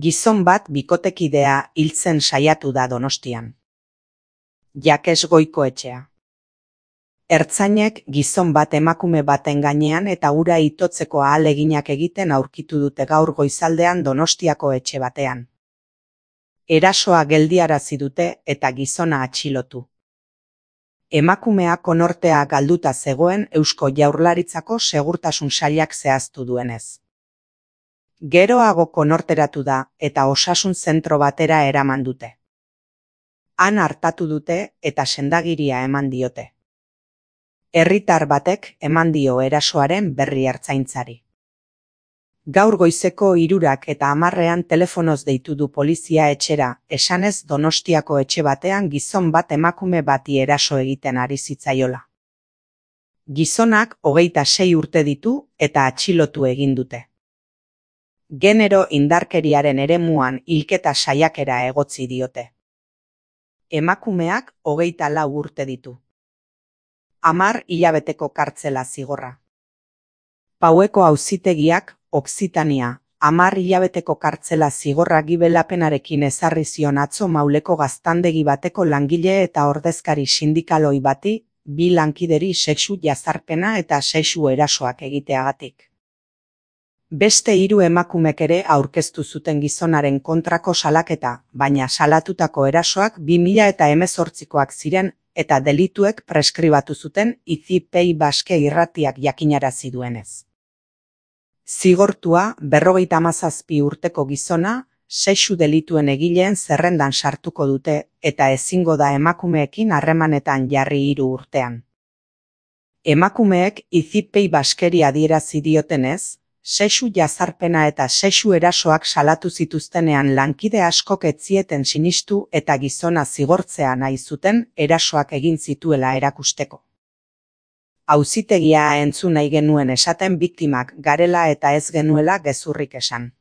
Gizon bat bikotekidea hiltzen saiatu da Donostian. Jakes Goikoetxea. Ertzainek gizon bat emakume baten gainean eta hura itotzeko ahaleginak egiten aurkitu dute gaur goizaldean Donostiako etxe batean. Erasoa geldiarazi dute eta gizona atxilotu. Emakumea konortea galduta zegoen Eusko Jaurlaritzako Segurtasun Sailak zehaztu duenez. Geroago konorteratu da eta osasun zentro batera eraman dute. Han artatu dute eta sendagiria eman diote. Herritar batek eman dio erasoaren berri ertzaintzari. Gaur goizeko 3:10 telefonoz deitu du polizia etxera, esanez Donostiako etxe batean gizon bat emakume bati eraso egiten ari zitzaiola. Gizonak 26 urte ditu eta atxilotu egin dute. Genero indarkeriaren eremuan hilketa saiakera egotzi diote. Emakumeak 24 urte ditu. 10 hilabeteko kartzela zigorra. Paueko auzitegiak Okzitania 10 hilabeteko kartzela zigorra gibelapenarekin ezarri zion atzo Mauleko gaztandegi bateko langile eta ordezkari sindikaloi bati, 2 lankideri sexu jazarpena eta sexu erasoak egiteagatik. Beste 3 emakumek ere aurkeztu zuten gizonaren kontrako salaketa, baina salatutako erasoak 2018koak ziren eta delituek preskribatu zuten ICPI Baske irratiak jakinarazi duenez. Zigortua 57 urteko gizona sexu delituen egileen zerrendan sartuko dute eta ezingo da emakumeekin harremanetan jarri 3 urtean. Emakumeek ICPI Baskeri adierazi diotenez, sexu jazarpena eta sexu erasoak salatu zituztenean lankide askok ez zieten sinistu eta gizona zigortzea nahi zuten erasoak egin zituela erakusteko. Auzitegia entzun nahi genuen esaten biktimak garela eta ez genuela gezurrik esan.